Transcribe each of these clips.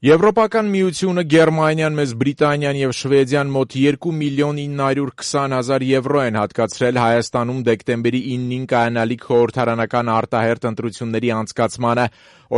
Եվրոպական միությունը, Գերմանիան, Մեծ Բրիտանիան եւ Շվեդիան մոտ 2.920.000 եվրո են հատկացրել Հայաստանում դեկտեմբերի 9-ին կայանալիք խորհրդարանական արտահերթ ընտրությունների անցկացմանը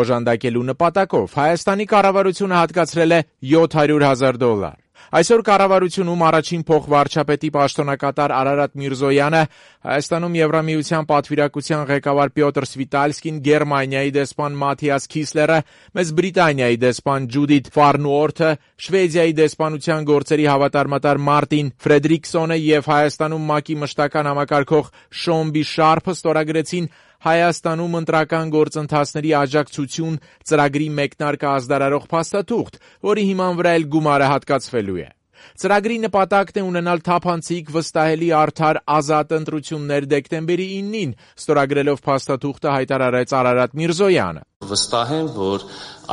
օժանդակելու նպատակով։ Հայաստանի կառավարությունը հատկացրել է $700,000։ Այսօր կառավարությունում առաջին փոխվարչապետի պաշտոնակատար Արարատ Միրզոյանը, Հայաստանում Եվրամիության պատվիրակության ղեկավար Պյոտր Սվիտալսկին, Գերմանիայի դեսպան Մաթիաս Քիսլերը, Մեծ Բրիտանիայի դեսպան Ջուդիթ Ֆարնուորթը, Շվեդիայի դեսպանության գործերի հավատարմատար Մարտին Ֆրեդրիկսոնը եւ Հայաստանում ՄԱԿ-ի մշտական համակարգող Շոմբի Շարփը ստորագրեցին Հայաստանում ընտրական գործընթացների աջակցություն ծրագրի մեկնարկը ազդարարող փաստաթուղթ, որի հիման վրա էլ գումարը հատկացվելու է։ Ծրագրի նպատակն է ունենալ թափանցիկ, վստահելի, արդար, ազատ ընտրություններ դեկտեմբերի 9-ին, ստորագրելով փաստաթուղթը հայտարարեց Արարատ Միրզոյանը։ Վստահ եմ, որ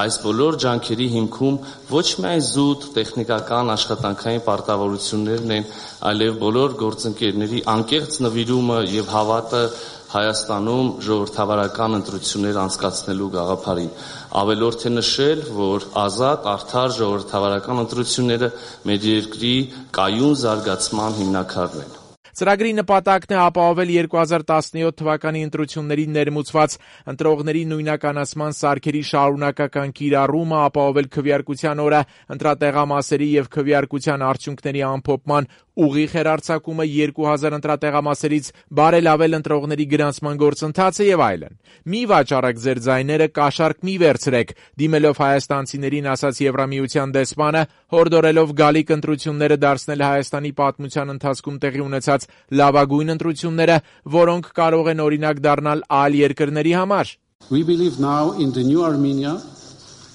այս բոլոր ջանքերի հիմքում ոչ միայն զուտ տեխնիկական աշխատանքային պարտավորություններն են, այլև բոլոր գործընկերների անկեղծ նվիրումը եւ հավատը Հայաստանում ժողովրդավարական ընտրություններ անցկացնելու գաղափարին։ Ավելորդ է նշել, որ ազատ, արդար ժողովրդավարական ընտրությունները մեր երկրի կայուն զարգացման հիմնաքարն են։ Ծրագրի նպատակն է ապահովել 2017 թվականի ընտրություններին ներմուծված ընտրողների նույնականացման սարքերի շարունակական կիրառումը, ապահովել քվեարկության օրը ընտրատեղամասերի եւ քվեարկության արդյունքների ամփոփման ուղիղ հեռարձակումը 2000 ընտրատեղամասերից, բարելավել ընտրողների գրանցման գործընթացը եւ այլն։ Մի վաճառեք ձեր ձայները, կաշառք մի վերցրեք, դիմելով հայաստանցիներին, ասաց Եվրամիության դեսպանը, հորդորելով գալիք ընտրությունները դարձնել Հայաստանի պատմության ընթացքում տեղի ունեցած լավագույն ընտրությունները, որոնք կարող են օրինակ դառնալ այլ երկրների համար։ We believe now in the new Armenia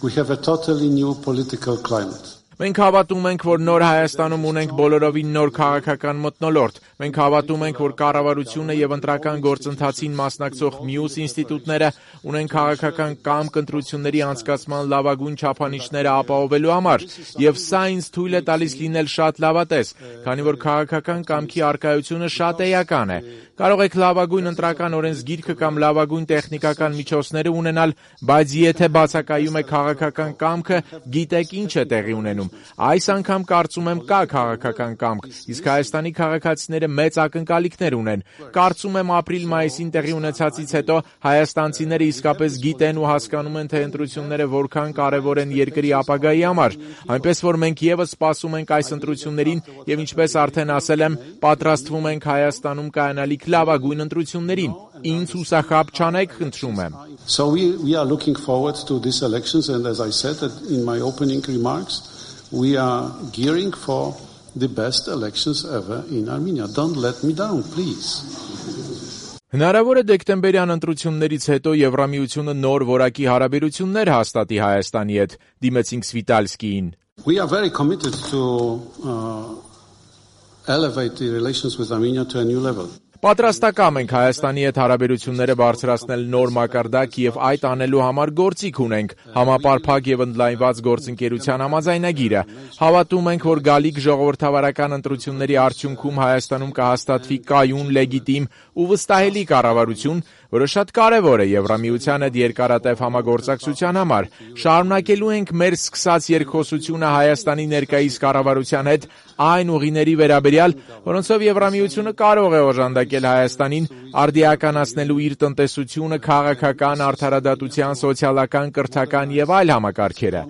we have a totally new political climate. Մենք հավատում ենք, որ նոր Հայաստանում ունենք բոլորովին նոր քաղաքական մթնոլորտ։ Մենք հավատում ենք, որ կառավարությունը եւ ընտրական գործընթացին մասնակցող մյուս ինստիտուտները ունեն քաղաքական կամք ընտրությունների անցկացման լավագույն չափանիշները ապահովելու համար, եւ սա ինձ թույլ է տալիս լինել շատ լավատես, քանի որ քաղաքական կամքի առկայությունը շատ էական է։ Կարող եք լավագույն ընտրական օրենսգիրքը կամ լավագույն տեխնիկական միջոցները ունենալ, բայց եթե բացակայում է քաղաքական կամքը, գիտեք ինչ է տեղի ունենում։ Այս անգամ կարծում եմ կա քաղաքական կամք, իսկ Հայաստանի քաղաքացիները մեծ ակնկալիքներ ունեն։ Կարծում եմ ապրիլ-մայիսին տեղի ունեցածից հետո հայաստանցիները իսկապես գիտեն ու հասկանում են, թե ընտրությունները որքան կարևոր են երկրի ապագայի համար, այնպես որ մենք եւս սպասում ենք այս ընտրություններին եւ ինչպես արդեն ասել եմ, պատրաստվում ենք Հայաստանում կայանալիք լավագույն ընտրություններին։ Ինձ հուսախաբ չանեք, խնդրում եմ։ So we are looking forward to these elections and as I said in my opening remarks, we are gearing for the best elections ever in Armenia. Don't let me down, please. Հնարավոր է դեկտեմբերյան ընտրություններից հետո Եվրամիությունը նոր որակի հարաբերություններ հաստատի Հայաստանի հետ, դիմեցինք Սվիտալսկիին։ We are very committed to elevate the relations with Armenia to a new level. Պատրաստակամ ենք Հայաստանի հետ հարաբերությունները բարձրացնել նոր մակարդակ եւ այդ անելու համար գործիք ունենք համապարփակ եւ ընդլայնված գործընկերության համաձայնագիրը։ Հավատում ենք, որ գալիք ժողովրդավարական ընտրությունների արդյունքում Հայաստանում կհաստատվի կայուն, լեգիտիմ ու վստահելի կառավարություն, որը շատ կարևոր է Եվրամիության հետ երկարատև համագործակցության համար։ Շարունակելու ենք մեր սկսած երկխոսությունը Հայաստանի ներկայիս կառավարության հետ այն ուղիների վերաբերյալ, որոնցով Եվրամիությունը կարող է օժանդակել Հայաստանին արդիականացնելու իր տնտեսությունը, քաղաքական, արդարադատության, սոցիալական, կրթական եւ այլ համակարգերը։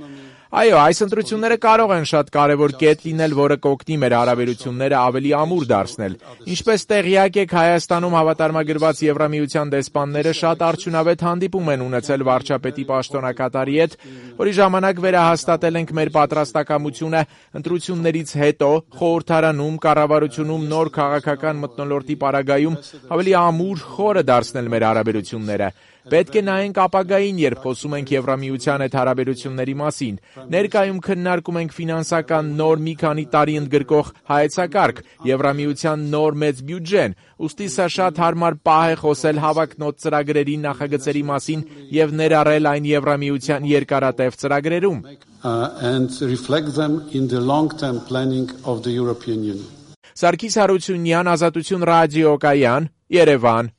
Այո, այս ընտրությունները կարող են շատ կարևոր կետ լինել, որը կօգնի մեր հարաբերությունները ավելի ամուր դարձնել։ Ինչպես տեղյակ եք, Հայաստանում հավատարմագրված Եվրամիության դեսպանները շատ արդյունավետ հանդիպում են ունեցել վարչապետի պաշտոնակատարի հետ, որի ժամանակ վերահաստատել ենք մեր պատրաստակամությունը ընտրություններից հետո խորհրդարանում, կառավարությունում նոր քաղաքական մթնոլորտի պարագայում ավելի ամուր, խորը դարձնել մեր հարաբերությունները։ Պետք է նայենք ապագային, երբ խոսում ենք Եվրամիության հետ հարաբերությունների մասին։ Ներկայում քննարկում ենք ֆինանսական նոր մի քանի տարի ընդգրկող հայեցակարգ, Եվրամիության նոր մեծ բյուջեն, ուստի սա շատ հարմար պահ է խոսել հավակնոտ ծրագրերի նախագծերի մասին եւ ներառել այն Եվրամիության երկարատև ծրագրերում։ And reflect them in the long-term planning of the European Union. Սարգիս Հարությունյան, Ազատություն ռադիոկայան, Երևան։